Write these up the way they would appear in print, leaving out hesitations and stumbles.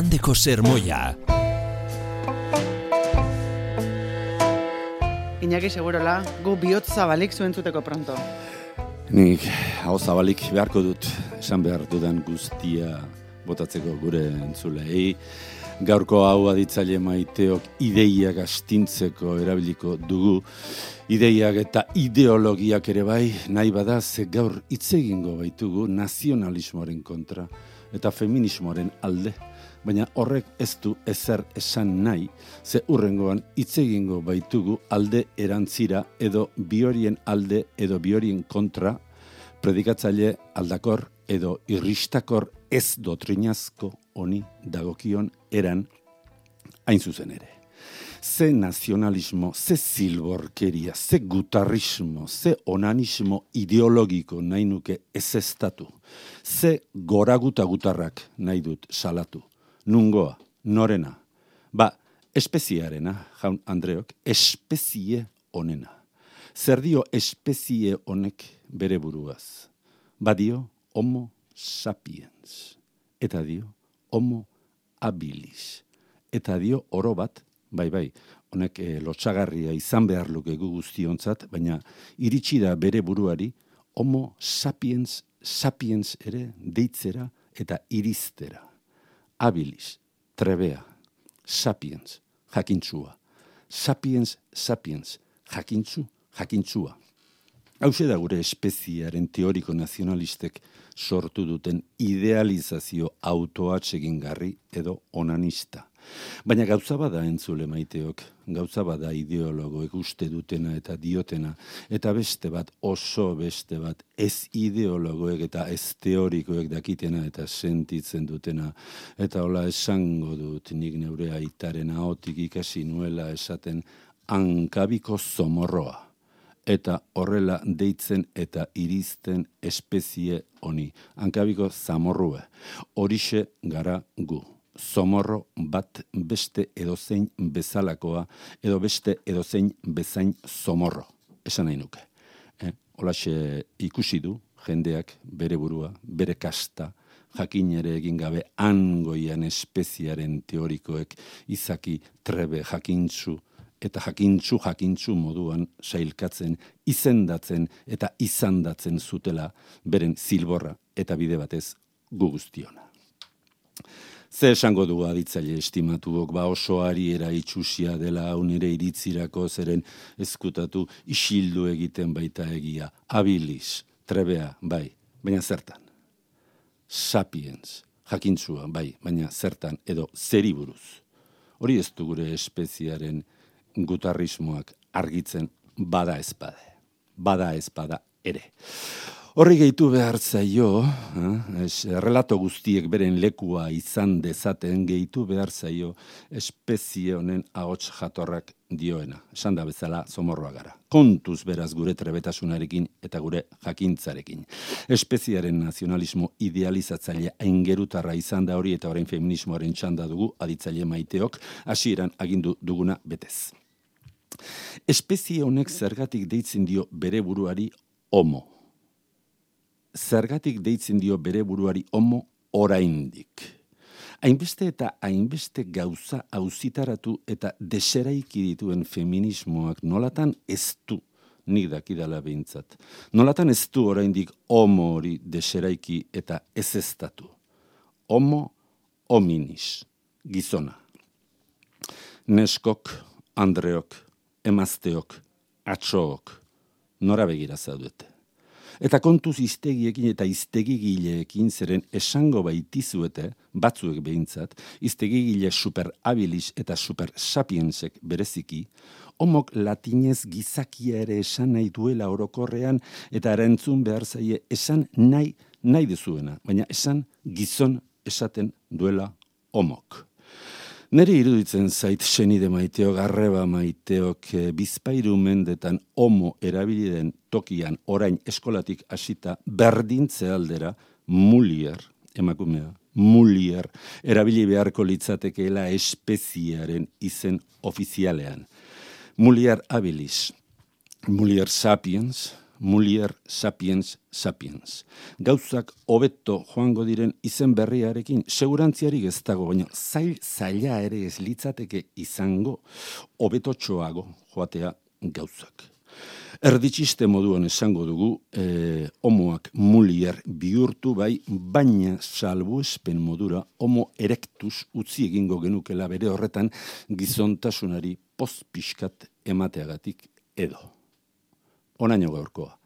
igandeko sermoia. Iñaki segurola, gu bihotz zabalik zuentzuteko pronto. Nik hau zabalik beharko dut, esan behar dudan guztia botatzeko gure entzulei. Gaurko hau aditzaile maiteok ideiak astintzeko erabiliko dugu. Ideiak eta ideologiak ere bai, nahi bada ze gaur hitz egingo baitugu nazionalismoaren kontra eta feminismoaren alde. Baina horrek ez du ezer esan nahi, ze hurrengoan hitz egingo baitugu alde erantzira edo biorien alde edo biorien kontra, predikatzaile aldakor edo irristakor ez dotrinazko honi dagokion eran hain zuzen ere. Ze nazionalismo, ze zilborkeria, ze gutarrismo, ze onanismo ideologiko nahi nuke ezestatu, ze goraguta gutarrak nahi dut salatu. Nungoa, norena, espeziearena, jaun Andreok, espezie honena. Zer dio espezie honek bere buruaz? Badio homo sapiens, eta dio homo habilis, eta dio oro bat, bai, honek lotsagarria izan behar luke gu guztiontzat, baina iritsi da bere buruari homo sapiens, sapiens ere deitzera eta iristera. Habilis, trebea, sapiens, jakintzua. Sapiens, sapiens, jakintzua. Hauxe da gure espeziaren teoriko nazionalistek sortu duten idealizazio autoatsegingarri edo onanista. Baina gauza bada entzule maiteok, gauza bada ideologoek uste dutena eta diotena, eta beste bat, oso beste bat, ez ideologoek eta ez teorikoek dakitena eta sentitzen dutena, eta hola esango dut nik neure aitaren ahotik ikasi nuela esaten hankabiko zomorroa. Eta horrela deitzen eta irizten espezie honi. Hankabiko zamorrue. Horixe gara gu. Zomorro bat beste edozein bezalakoa, edo beste edozein bezain zomorro. Esan nahi nuke. Holaxe ikusi du jendeak bere burua, bere kasta, jakin ere egin gabe hangoian espeziaren teorikoek izaki trebe jakintzu, eta jakintzu moduan sailkatzen, izendatzen eta izandatzen zutela beren zilborra eta bide batez gu guztiona. Ze esango dugu aditzaile estimatuok, oso ariera itxusia dela hau nire iritzirako zeren ezkutatu isildu egiten baita egia. Habilis, trebea, bai, baina zertan. Sapiens, jakintzua, bai, baina zertan edo zeri buruz. Hori ez du gure espeziaren gutarrismoak argitzen bada ezpada ere. Horri gehitu behar zaio, relato guztiek beren lekua izan dezaten gehitu behar zaio espezie honen ahots jatorrak dioena. Esan da bezala zomorroa gara. Kontuz beraz gure trebetasunarekin eta gure jakintzarekin. Espeziaren nazionalismo idealizatzaile aingerutarra izan da hori eta orain feminismoaren txanda dugu aditzaile maiteok hasieran agindu duguna betez. Espezie honek zergatik deitzen dio bere buruari homo. Zergatik deitzen dio bere buruari homo oraindik. Hainbeste eta hainbeste gauza auzitaratu eta deseraiki dituen feminismoak nolatan ez du, nik dakidala behintzat. Nolatan ez du oraindik homo hori deseraiki eta ezeztatu. Homo hominis, gizona. Neskok, andreok, emazteok, atxook, nora begira zaudete. Eta kontuz iztegiekin eta iztegigileekin zeren esango baitizuete, batzuek behintzat, iztegigile super habilis eta super sapiensek bereziki, homok latinez gizakia ere esan nahi duela orokorrean eta erantzun behar zaie esan nahi dezuena, baina esan gizon esaten duela homok. Neri iruditzen zait senide maiteok, arreba maiteok, bizpairu mendetan homo erabiliden tokian orain eskolatik hasita berdintze aldera mulier, emakumea, mulier, erabili beharko litzatekeela espeziaren izen ofizialean. Mulier habilis, mulier sapiens, mulier sapiens sapiens. Gauzak hobeto joango diren izen berriarekin segurantziarik ez dago, baina zaila ere ez litzateke izango hobetotxoago joatea gauzak. Erditxiste moduan esango dugu, homoak mulier bihurtu bai, baina salbuespen modura homo erectus utzi egingo genukela bere horretan gizontasunari pozpiskat emateagatik edo. Onaino gaurkoa.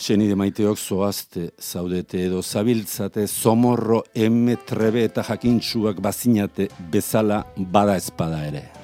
Senide maiteok zoazte, zaudete edo zabiltzate, zomorro, trebe eta jakintsuak bazinate bezala bada espada ere.